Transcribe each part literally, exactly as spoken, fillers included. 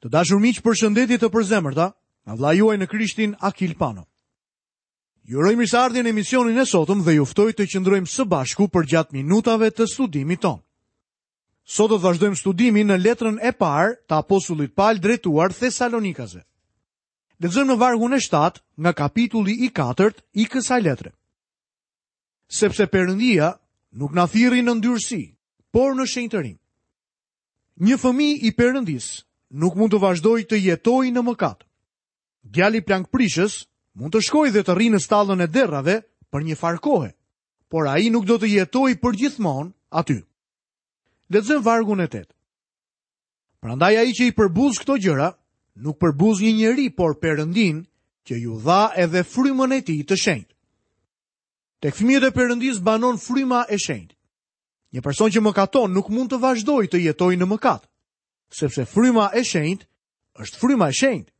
Të dashur miq, përshëndetje të përzemërta nga vëllai juaj në Krishtin Akil Pano. Ju uroj mirëseardhje në emisionin e sotëm dhe ju ftoj të qëndrojmë së bashku përgjatë minutave të studimit tonë. Sot do të vazhdojmë studimin në letrën e parë të apostullit Paul drejtuar Thesalonikasve. Lexojmë në vargun e shtatë nga kapitulli i katërt i kësaj letre. Sepse Perëndia nuk na thirri në ndyrësi, por në shenjtërim. Një fëmijë i Perëndisë nuk mund të vazhdojë të jetojë në mëkat. Djali plankprishës mund të shkojë dhe të rrinë në stallën e derrave për një farë kohe, por ai nuk do të jetojë përgjithmonë aty. Lexojmë vargun e tetë. Prandaj ai që i përbuz këto gjëra, nuk përbuz një njeri, por Perëndin, që ju dha edhe frymën e tij të shenjtë. Tek fëmijët e Perëndis banon fryma e shenjtë. Një person që mëkaton nuk mund të vazhdojë të jetojë në mëkat, sepse fryma e shenjtë është fryma e shenjtë.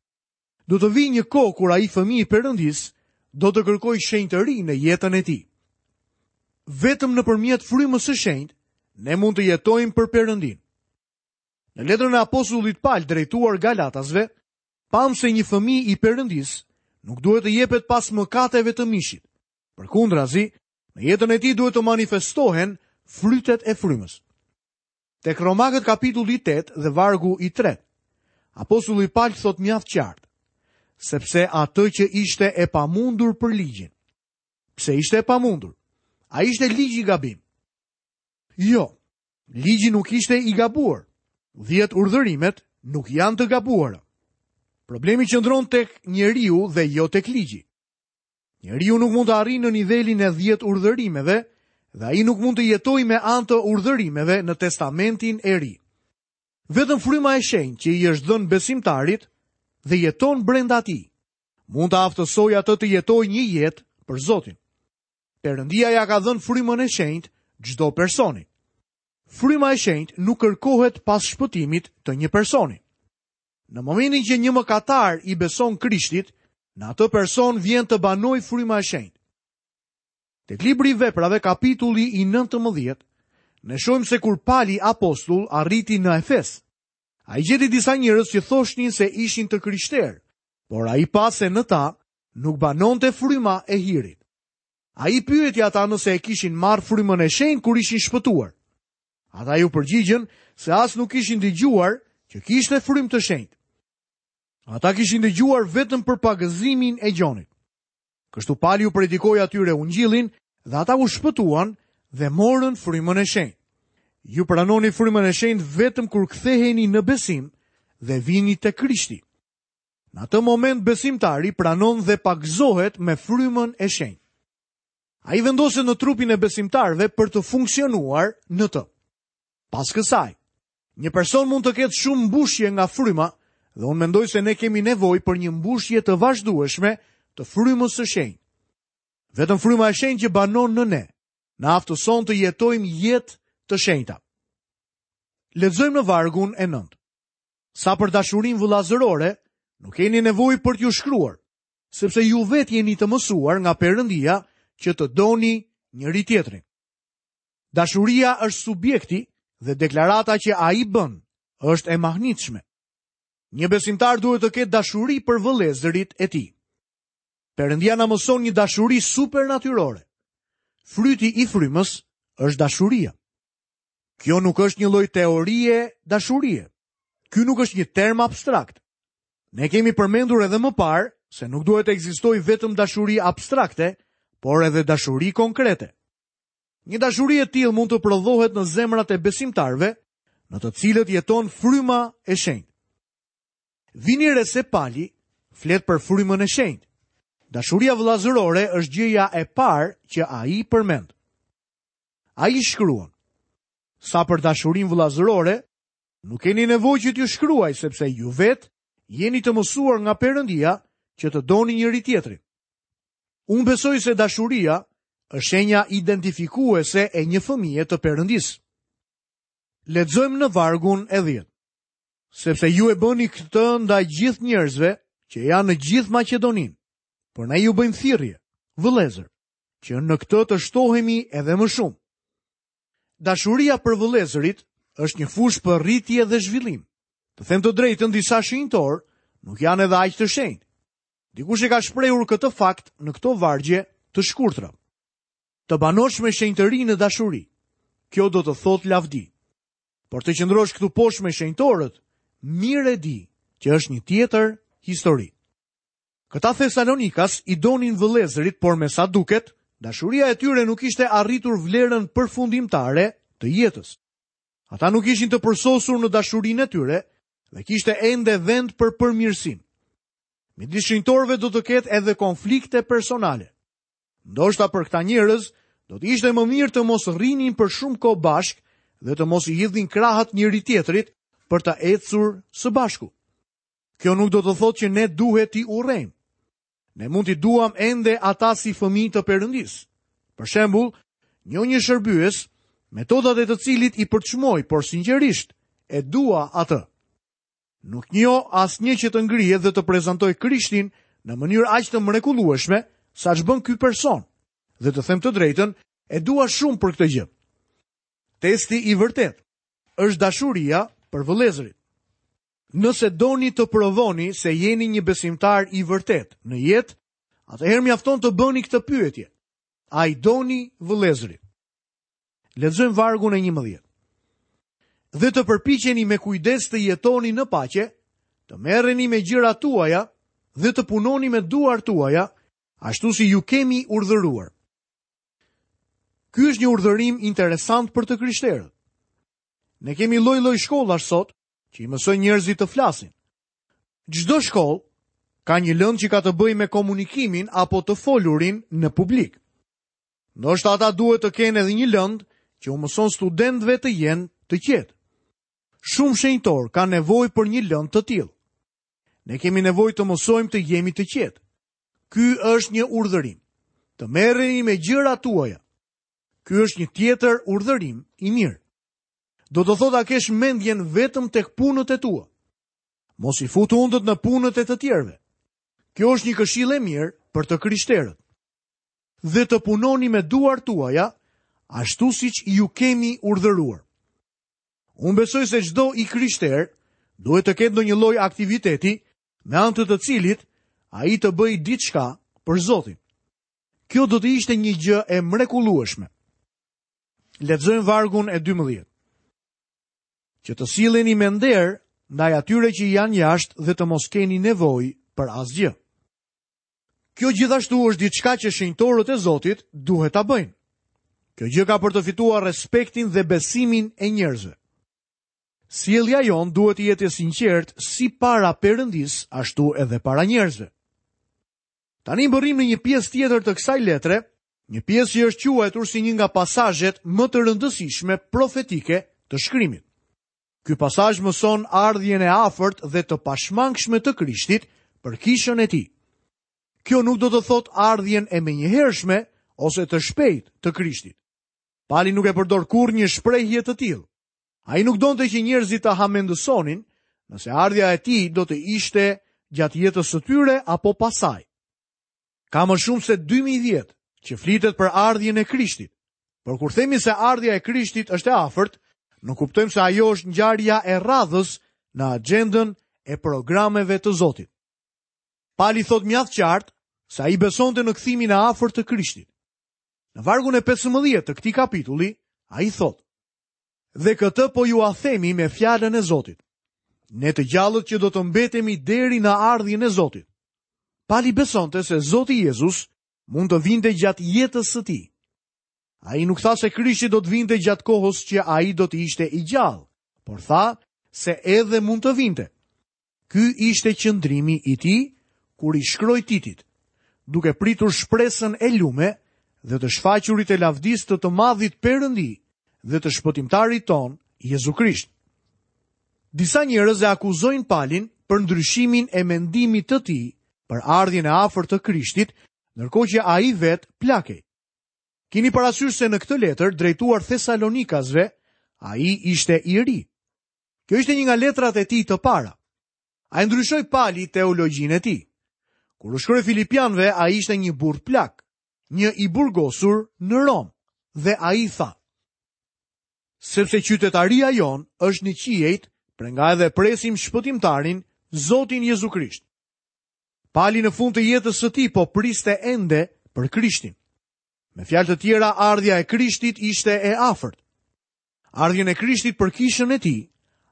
Do të vijë një kohë kur ai fëmijë i Perëndis do të kërkojë shenjtëri në jetën e tij. Vetëm nëpërmjet frymës së shenjtë ne mund të jetojmë për Perëndin. Në letrën e apostullit Paul drejtuar Galatasve, pam se një fëmijë i Perëndis nuk duhet të jepet pas mëkateve të mishit. Përkundrazi, në jetën e tij duhet të manifestohen frytet e frymës. Tek Romakët kapitulli tetë dhe vargu i tretë, apostulli Paul thot mjaft qartë, sepse atë që ishte e pamundur për ligjin. Pse ishte e pamundur? A ishte ligji gabim? Jo, ligji nuk ishte i gabuar. Dhjetë urdhërimet nuk janë të gabuara. Problemi qëndron tek njeriu dhe jo tek ligji. Njeriu nuk mund të arrijë në nivelin e dhjetë urdhërimeve dhe ai nuk mund të jetojë me anë të urdhërimeve në Testamentin e Ri. Vetëm fryma e shenjtë që i është dhënë besimtarit dhe jeton brenda tij, mund të aftësojë atë të jetojë një jetë për Zotin. Perëndia ja ka dhënë frymën e shenjtë çdo personi. Fryma e shenjtë nuk kërkohet pas shpëtimit të një personi. Në momentin që një mëkatar i beson Krishtit, në atë person vjen të banojë fryma e shenjtë. Tek libri i Veprave, kapitulli i nëntëmbëdhjetë, ne shohim se kur Pali apostull arriti në Efes, ai gjeti disa njerëz që thoshnin se ishin të krishterë, por ai pa se në ta nuk banonte fryma e hirit. Ai pyeti ata nëse e kishin marrë frymën e shenjtë kur ishin shpëtuar. Ata ju përgjigjën se as nuk kishin dëgjuar që kishte frymë të shenjtë. Ata kishin dëgjuar vetëm për pagëzimin e Gjonit. Kështu Pali u predikoi atyre ungjillin dhe ata u shpëtuan dhe morën frymën e shenjtë. Ju pranoni frymën e shenjtë vetëm kur ktheheni në besim dhe vini te Krishti. Në atë moment besimtari pranon dhe pagëzohet me frymën e shenjtë. Ai vendoset në trupin e besimtarëve për të funksionuar në të. Pas kësaj, një person mund të ketë shumë mbushje nga fryma dhe unë mendoj se ne kemi nevojë për një mbushje të vazhdueshme të frymës së shenjtë. Vetëm fryma e shenjtë që banon në ne, na aftëson të jetojmë jetë të shenjta. Lexojmë në vargun e nëntë. Sa për dashurinë vëllazërore, nuk keni nevojë për t'ju shkruar, sepse ju vetë jeni të mësuar nga Perëndia që të doni njëri tjetrin. Dashuria është subjekti dhe deklarata që ai bën është e mahnitshme. Një besimtar duhet të ketë dashuri për vëllezërit e tij. Perëndia na mëson një dashuri supernatyrore. Fryti i frymës është dashuria. Kjo nuk është një lloj teorie dashurie. Ky nuk është një term abstrakt. Ne kemi përmendur edhe më parë se nuk duhet të ekzistojë vetëm dashuri abstrakte, por edhe dashuri konkrete. Një dashuri e tillë mund të prodhohet në zemrat e besimtarëve, në të cilët jeton fryma e shenjtë. Vini re se Pali flet për frymën e shenjtë. Dashuria vëllazërore është gjëja e parë që ai përmend. Ai shkruan: Sa për dashurinë vëllazërore, nuk keni nevojë që t'ju shkruaj, sepse ju vetë jeni të mësuar nga Perëndia që të doni njëri tjetrin. Unë besoj se dashuria është shenja identifikuese e një fëmije të Perëndisë. Lexojmë në vargun e dhjetë. Sepse ju e bëni këtë ndaj gjithë njerëzve që janë në gjithë Maqedoninë, por ne ju bëjmë thirrje, vëllezër, që në këtë të shtohemi edhe më shumë. Dashuria për vëllezërit është një fushë për rritje dhe zhvillim. Të them të drejtën, disa shenjtorë nuk janë edhe aq të shenjtë. Dikush e ka shprehur këtë fakt në këto vargje të shkurtra. Të banosh me shenjtëri në dashuri. Kjo do të thotë lavdi. Por të qëndrosh këtu poshtë me shenjtorët, mirë e di që është një tjetër histori. Këta Thesalonikas i donin vëllezërit, por me sa duket, dashuria e tyre nuk ishte arritur vlerën përfundimtare të jetës. Ata nuk ishin të përsosur në dashurinë e tyre dhe kishte ende vend për përmirësim. Midis shenjtorëve do të ketë edhe konflikte personale. Ndoshta për këta njerëz do të ishte më mirë të mos rrinin për shumë kohë bashkë dhe të mos i hidhnin krahët njëri tjetrit për të ecur së bashku. Kjo nuk do të thotë që ne duhet t'i urrejmë. Ne mund t'i duam ende ata si fëmijë të Perëndisë. Për shembull, njoh një shërbyes, metodat e të cilit i përçmoj, por sinqerisht e dua atë. Nuk njoh asnjë që të ngrihet dhe të prezantoj Krishtin në mënyrë aq të mrekullueshme sa ç'bën ky person. Dhe të them të drejtën, e dua shumë për këtë gjë. Testi i vërtet është dashuria për vëllezërit. Nëse doni të provoni se jeni një besimtar i vërtet në jetë, atëherë mjafton të bëni këtë pyetje. A i doni vëllezërit? Lexojmë vargun e njëmbëdhjetë. Dhe të përpiqeni me kujdes të jetoni në paqe, të merreni me gjërat tuaja dhe të punoni me duart tuaja, ashtu si ju kemi urdhëruar. Ky është një urdhërim interesant për të krishterët. Ne kemi lloj-lloj shkollash sot që i mësojnë njerëzit të flasin. Çdo shkollë ka një lëndë që ka të bëjë me komunikimin apo të folurin në publik. Ndoshta ata duhet të kenë edhe një lëndë që u mëson studentëve të jenë të qetë. Shumë shenjtorë kanë nevojë për një lëndë të tillë. Ne kemi nevojë të mësojmë të jemi të qetë. Ky është një urdhërim. Të merreni me gjërat tuaja. Ky është një tjetër urdhërim i mirë. Do të thotë ta kesh mendjen vetëm tek punët e tua. Mos i fut hundët në punët e të tjerëve. Kjo është një këshillë e mirë për të krishterët. Dhe të punoni me duart tuaja, ashtu siç ju kemi urdhëruar. Unë besoj se çdo i krishter duhet të ketë ndonjë lloj aktiviteti me anë të të cilit ai të bëjë diçka për Zotin. Kjo do të ishte një gjë e mrekullueshme. Lexojmë vargun e dymbëdhjetë. Që të silleni me nder ndaj atyre që janë jashtë dhe të mos keni nevojë për asgjë. Kjo gjithashtu është diçka që shenjtorët e Zotit duhet ta bëjnë. Kjo gjë ka për të fituar respektin dhe besimin e njerëzve. Sjellja jonë duhet të jetë e sinqertë si para Perëndisë, ashtu edhe para njerëzve. Tani mbërrim në një pjesë tjetër të kësaj letre, një pjesë që është quajtur si një nga pasazhet më të rëndësishme profetike të shkrimit. Ky pasazh mëson ardhjen e afërt dhe të pashmangshme të Krishtit për kishën e tij. Kjo nuk do të thotë ardhjen e menjëhershme ose të shpejtë të Krishtit. Pali nuk e përdor kurrë një shprehje të tillë. Ai nuk donte që njerëzit të hamendësonin nëse ardhja e tij do të ishte gjatë jetës së tyre apo pasaj. Ka më shumë se dy mijë vjet që flitet për ardhjen e Krishtit. Por kur themi se ardhja e Krishtit është e afërt, nuk kuptojmë se ajo është ngjarja e radhës në agjendën e programeve të Zotit. Pali thot mjaft qartë se ai besonte në kthimin e afërt të Krishtit. Në vargun e pesëmbëdhjetë të këtij kapitulli, ai thot: Dhe këtë po ju a themi me fjalën e Zotit. Ne të gjallët që do të mbetemi deri në ardhjen e Zotit. Pali besonte se Zoti Jezus mund të vinte gjatë jetës së tij. Ai nuk tha se Krishti do të vinte gjatë kohës që ai do të ishte i gjallë, por tha se edhe mund të vinte. Ky ishte qëndrimi i tij kur i shkroi Titit, duke pritur shpresën e lume dhe të shfaqurit e lavdisë të të madhit Perëndi dhe të shpëtimtarit ton, Jezu Krisht. Disa njerëz e akuzojnë Palin për ndryshimin e mendimit të tij për ardhjen e afërt të Krishtit, ndërkohë që ai vet plakej. Kini parasysh se në këtë letër drejtuar Thesalonikasve, ai ishte i ri. Kjo ishte një nga letrat e tij të para. Ai ndryshoi Pali teologjinë e tij. Kur u shkroi Filipianëve, ai ishte një burr plak, një i burgosur në Romë, dhe ai tha: Sepse qytetaria jonë është në qiejt, Prej nga edhe presim shpëtimtarin, Zotin Jezu Krisht. Pali në fund të jetës së tij po priste ende për Krishtin. Me fjalë të tjera, ardhja e Krishtit ishte e afërt. Ardhjen e Krishtit për kishën e tij,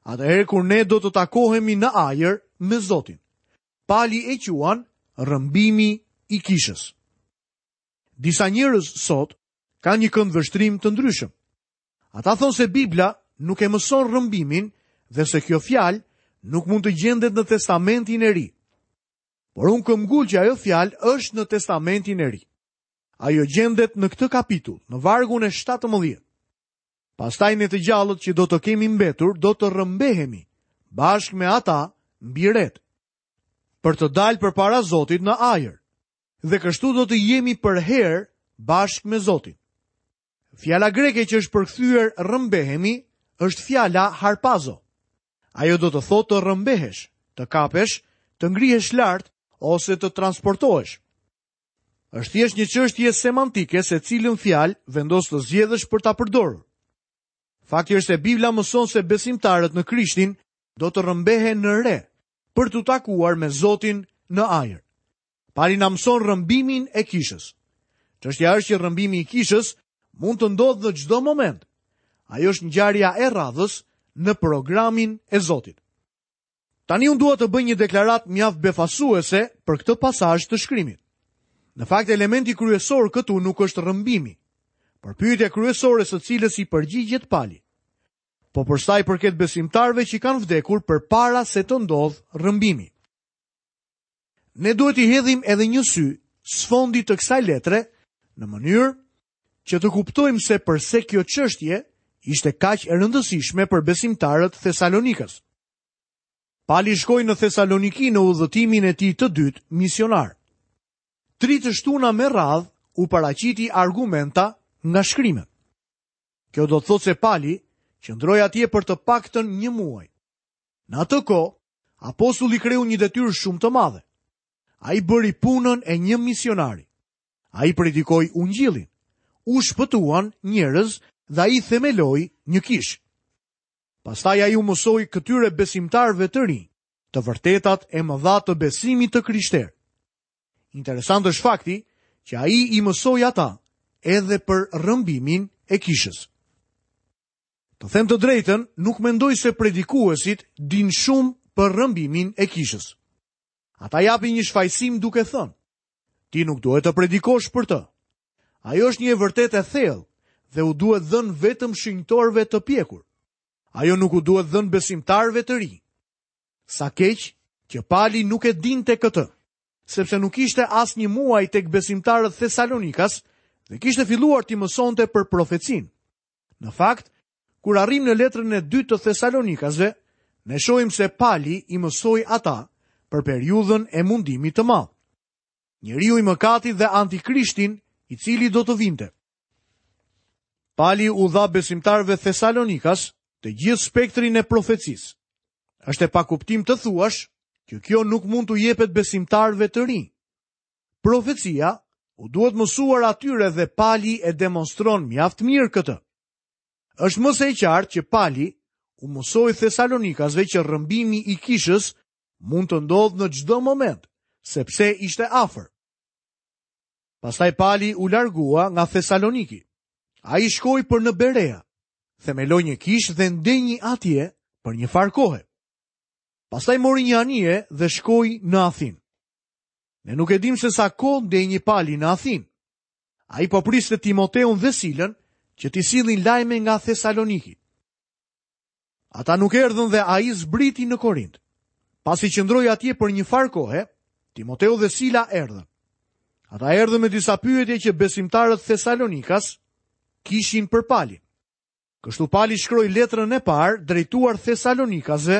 atëherë kur ne do të takohemi në ajër me Zotin. Pali e quan rrëmbimi i kishës. Disa njerëz sot kanë një këndvështrim të ndryshëm. Ata thonë se Bibla nuk e mëson rrëmbimin dhe se kjo fjalë nuk mund të gjendet në Testamentin e Ri. Por unë këmbgul që ajo fjalë është në Testamentin e Ri. Ajo gjendet në këtë kapitull, në vargun e shtatëmbëdhjetë. Pastaj ne të gjallët që do të kemi mbetur, do të rrëmbehemi bashkë me ata mbi ret, për të dalë përpara Zotit në ajër. Dhe kështu do të jemi përherë bashkë me Zotin. Fjala greke që është përkthyer rrëmbehemi është fjala harpazo. Ajo do të thotë të rrëmbehesh, të kapesh, të ngrihesh lart ose të transportohesh. Është thjesht një çështje semantike se cilën fjalë vendos të zgjedhësh për ta përdorur. Fakti është se Bibla mëson se besimtarët në Krishtin do të rrëmbehen në re për t'u takuar me Zotin në ajër. Pali na mëson rrëmbimin e kishës. Çështja është që rrëmbimi i kishës mund të ndodhë në çdo moment. Ajo është ngjarja e radhës në programin e Zotit. Tani unë dua të bëj një deklaratë mjaft befasuese për këtë pasazh të shkrimit. Në fakt, elementi kryesor këtu nuk është rrëmbimi, por pyetja kryesore së cilës i përgjigjet Pali. Po për sa i përket besimtarëve që kanë vdekur përpara se të ndodhë rrëmbimi. Ne duhet i hedhim edhe një sy sfondit të kësaj letre në mënyrë që të kuptojmë se përse kjo çështje ishte kaq e rëndësishme për besimtarët Thesalonikas. Pali shkoi në Thesaloniki në udhëtimin e tij të dytë misionar. Tri të shtuna me radhë u paraqiti argumenta nga shkrimet. Kjo do të thotë se Pali qëndroi atje për të paktën një muaj. Në atë kohë, apostulli kreu një detyrë shumë të madhe. Ai bëri punën e një misionari. Ai predikoi ungjillin. U shpëtuan njerëz dhe ai themeloi një kishë. Pastaj ai u mësoi këtyre besimtarëve të rinj të vërtetat e mëdha të besimit të krishterë. Interesant është fakti që ai i mësoi ata edhe për rrëmbimin e kishës. Të them të drejtën, nuk mendoj se predikuesit dinë shumë për rrëmbimin e kishës. Ata japin një shfajësim duke thënë: ti nuk duhet të predikosh për të. Ajo është një e vërtetë e thellë dhe u duhet dhënë vetëm shenjtorëve të pjekur. Ajo nuk u duhet dhënë besimtarëve të rinj. Sa keq që Pali nuk e dinte këtë, sepse nuk ishte asnjë muaj tek besimtarët Thesalonikas dhe kishte filluar t'i mësonte për profecinë. Në fakt, kur arrim në letrën e dytë të Thesalonikasve, ne shohim se Pali i mësoi ata për periudhën e mundimit të madh. Njeriu i mëkatit dhe antikrishtin, i cili do të vinte. Pali u dha besimtarëve Thesalonikas të gjithë spektrin e profecisë. Është e pakuptim të thuash që kjo nuk mund t'u jepet besimtarëve të rinj. Profecia u duhet mësuar atyre dhe Pali e demonstron mjaft mirë këtë. Është më se e qartë që Pali u mësoi Thesalonikasve që rrëmbimi i kishës mund të ndodhë në çdo moment, sepse ishte afër. Pastaj Pali u largua nga Thesaloniki. Ai shkoi për në Berea, themeloi një kishë dhe ndenji atje për një farë kohe. Pastaj mori një anije dhe shkoi në Athinë. Ne nuk e dim se sa kohë ndenji Pali në Athinë. Ai po priste Timoteun dhe Silën që t'i sillin lajme nga Thesaloniki. Ata nuk erdhën dhe ai zbriti në Korint. Pasi qëndroi atje për një farë kohe, Timoteu dhe Sila erdhën. Ata erdhën me disa pyetje që besimtarët Thesalonikas kishin për Palin. Kështu Pali shkroi letrën e parë drejtuar Thesalonikasve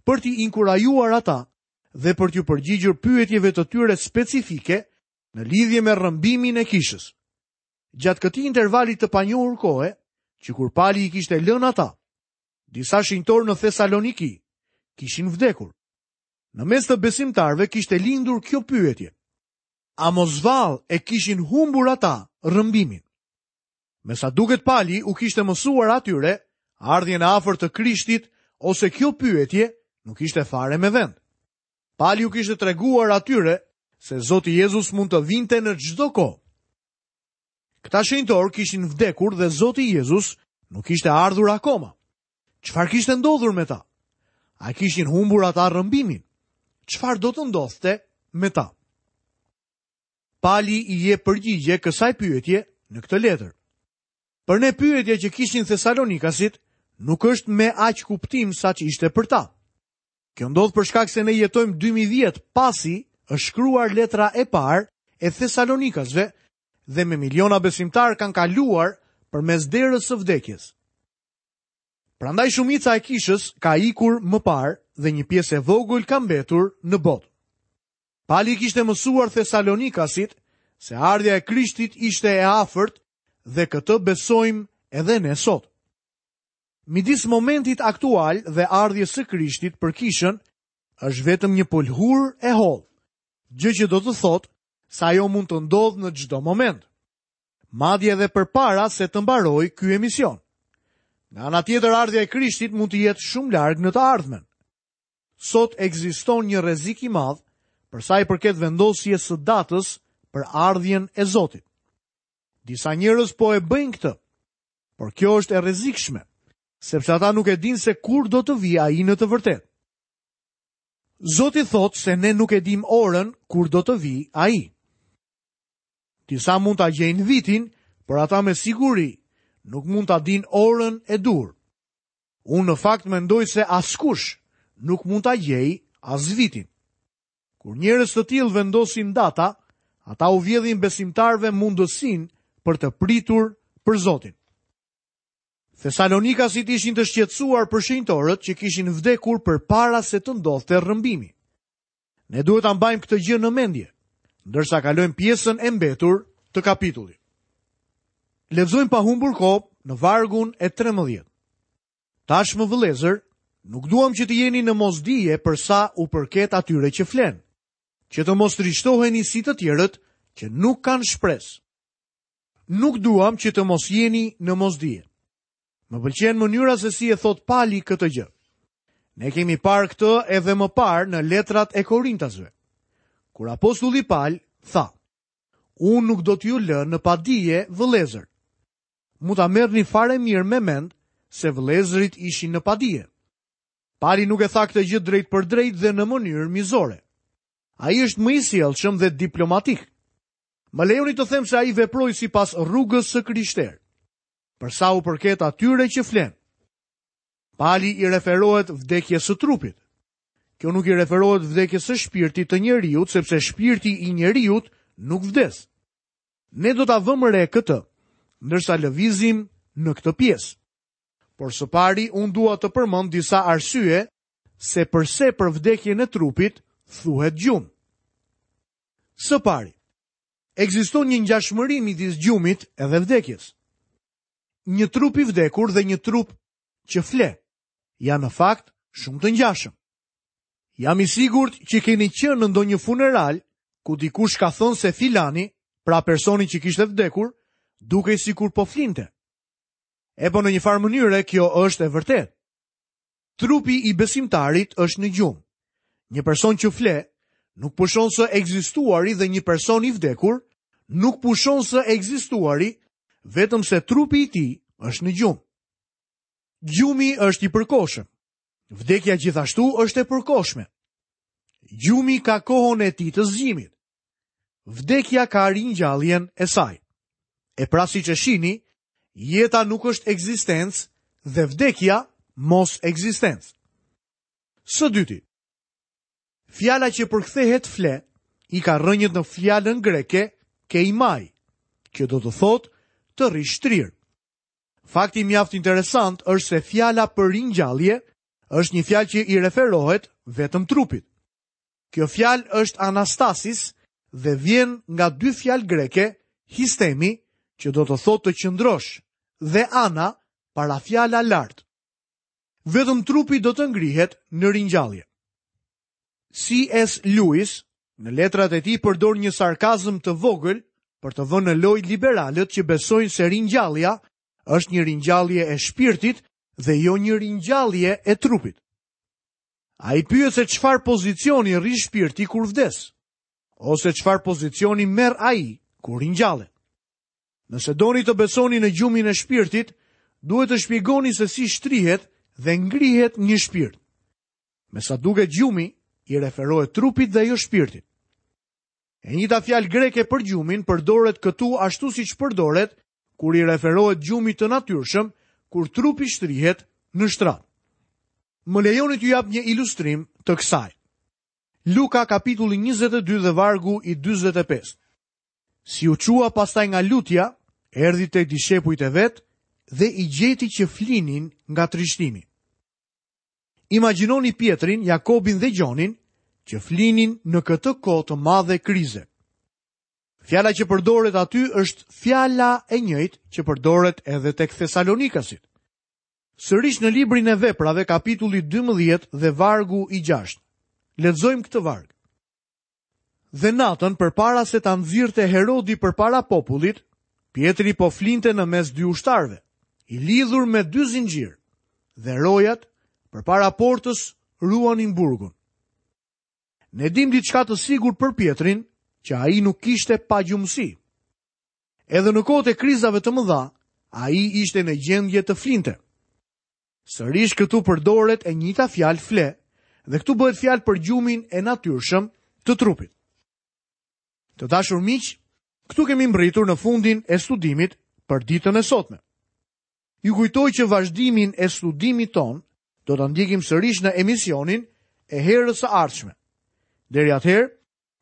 për t'i inkurajuar ata dhe për t'ju përgjigjur pyetjeve të tyre specifike në lidhje me rrëmbimin e kishës. Gjatë këtij intervali të panjohur kohe, që kur Pali i kishte lënë ata, disa shenjtorë në Thesaloniki kishin vdekur. Në mes të besimtarëve kishte lindur kjo pyetje: a mos vallë e kishin humbur ata rrëmbimin? Me sa duket Pali u kishte mësuar atyre ardhjen e afërt të Krishtit ose kjo pyetje nuk ishte fare me vend. Pali u kishte treguar atyre se Zoti Jezus mund të vinte në çdo kohë. Këta shenjtorë kishin vdekur dhe Zoti Jezus nuk ishte ardhur akoma. Çfarë kishte ndodhur me ta? A kishin humbur ata rrëmbimin? Çfarë do të ndodhte me ta? Pali i jep përgjigje kësaj pyetje në këtë letër. Për ne pyetja që kishin Thesalonikasit nuk është me aq kuptim sa që ishte për ta. Kjo ndodh për shkak se ne jetojmë dy mijë vjet pasi është shkruar letra e parë e Thesalonikasve dhe me miliona besimtarë kanë kaluar përmes derës së vdekjes. Prandaj shumica e kishës ka ikur më parë dhe një pjesë e vogël ka mbetur në botë. Pali kishte mësuar Thesalonikasit se ardhja e Krishtit ishte e afërt dhe këtë besojmë edhe ne sot. Midis momentit aktual dhe ardhjes së Krishtit për kishën është vetëm një pëlhurë e hollë, gjë që do të thotë se ajo mund të ndodhë në çdo moment, madje edhe përpara se të mbarojë ky emision. Nga ana tjetër, ardhja e Krishtit mund të jetë shumë larg në të ardhmen. Sot ekziston një rrezik i madh për sa i përket vendosjes së datës për ardhjen e Zotit. Disa njerëz po e bëjnë këtë, por kjo është e rrezikshme, sepse ata nuk e dinë se kur do të vijë ai në të vërtetë. Zoti thotë se ne nuk e dim orën kur do të vijë ai. Disa mund ta gjejnë vitin, por ata me siguri nuk mund ta dinë orën e duhur. Unë në fakt mendoj se askush nuk mund ta gjejë as vitin. Kur njerëz të tillë vendosin data, ata u vjedhin besimtarëve mundësinë për të pritur për Zotin. Thesalonikasit ishin të shqetësuar për shenjtorët që kishin vdekur përpara se të ndodhte rrëmbimi. Ne duhet ta mbajmë këtë gjë në mendje, ndërsa kalojmë pjesën e mbetur të kapitullit. Lexojmë pa humbur kohë në vargun e trembëdhjetë. Tashmë vëllezër, nuk duam që të jeni në mosdije për sa u përket atyre që flen, që të mos trishtoheni si të tjerët që nuk kanë shpresë. Nuk duam që të mos jeni në mosdije. Më pëlqen mënyra se si e thot Pali këtë gjë. Ne kemi parë këtë edhe më parë në letrat e Korintasve, kur apostulli Pal tha: "Unë nuk do t'ju lë në padije, vëllezër." Mund ta merrni fare mirë me mend se vëllezërit ishin në padije. Pali nuk e tha këtë gjë drejt për drejt dhe në mënyrë mizore. Ai është më i sjellshëm dhe diplomatik. Më lejoni të them se ai veproi sipas rrugës së krishterë. Për sa u përket atyre që flen, Pali i referohet vdekjes së trupit. Kjo nuk i referohet vdekjes së shpirtit të njeriut, sepse shpirti i njeriut nuk vdes. Ne do ta vëmë re këtë, ndërsa lëvizim në këtë pjesë. Por së pari unë dua të përmend disa arsye se përse për vdekjen e trupit thuhet gjumë. Së pari, ekziston një ngjashmëri midis gjumit edhe vdekjes. Një trup i vdekur dhe një trup që fle janë në fakt shumë të ngjashëm. Jam i sigurt që keni qenë në ndonjë funeral ku dikush ka thënë se filani, pra personi që kishte vdekur, dukej sikur po flinte. E po në një farë mënyre kjo është e vërtetë. Trupi i besimtarit është në gjumë. Një person që fle nuk pushon së ekzistuari dhe një person i vdekur nuk pushon së ekzistuari, vetëm se trupi i tij është në gjumë. Gjumi është i përkohshëm. Vdekja gjithashtu është e përkohshme. Gjumi ka kohën e tij të zgjimit. Vdekja ka ringjalljen e saj. E pra siç e shihni, jeta nuk është ekzistencë dhe vdekja mos ekzistencë. Së dyti, fjala që përkthehet fle i ka rrënjët në fjalën greke keimai, që do të thotë të rri shtrirë. Fakti mjaft interesant është se fjala për ringjallje është një fjalë që i referohet vetëm trupit. Kjo fjalë është anastasis dhe vjen nga dy fjalë greke, histemi, që do të thotë të qëndrosh, dhe ana, para fjala lart. Vetëm trupi do të ngrihet në ringjallje. C S Lewis në letrat e tij përdor një sarkazëm të vogël për të vënë në lojë liberalët që besojnë se ringjallja është një ringjallje e shpirtit dhe jo një ringjallje e trupit. Ai pyet se çfarë pozicioni rri shpirti kur vdes, ose çfarë pozicioni merr ai kur ringjallet. Nëse doni të besoni në gjumin e shpirtit, duhet të shpjegoni se si shtrihet dhe ngrihet një shpirt. Me sa duket gjumi i referohet trupit dhe jo shpirtit. E njëjta fjalë greke për gjumin përdoret këtu ashtu siç përdoret kur i referohet gjumit të natyrshëm, kur trupi shtrihet në shtrat. Më lejoni t'ju jap një ilustrim të kësaj. Luka kapitulli njëzet e dy dhe vargu i dyzet e pesë. Si u çua pastaj nga lutja, erdhi tek dishepujt e vet dhe i gjeti që flinin nga trishtimi. Imagjinoni Pietrin, Jakobin dhe Gjonin që flinin në këtë kohë të madhe krize. Fjala që përdoret aty është fjala e njëjtë që përdoret edhe tek Thesalonikasit. Sërish në librin e Veprave, kapitulli dymbëdhjetë dhe vargu i gjashtë. Lexojmë këtë varg. Dhe natën përpara se ta nxirrte Herodi përpara popullit, Pietri po flinte në mes dy ushtarëve, i lidhur me dy zinxhir, dhe rojat përpara portës ruanin burgun. Ne dim diçka të sigurt për Pietrin, që ai nuk kishte pagjumësi. Edhe në kohët e krizave të mëdha, ai ishte në gjendje të flinte. Sërish këtu përdoret e njëjta fjalë fle, dhe këtu bëhet fjalë për gjumin e natyrshëm të trupit. Të dashur miq, këtu kemi mbërritur në fundin e studimit për ditën e sotme. Ju kujtoj që vazhdimin e studimit ton do ta ndjekim sërish në emisionin e herës së ardhshme. Deri atëherë,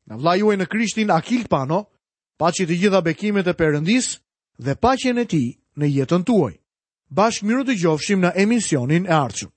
nga vëllai juaj në Krishtin Akil Pano, paçi të gjitha bekimet e Perëndisë dhe paqen e tij në jetën tuaj. Bashkë mirë dëgjofshim në emisionin e ardhshëm.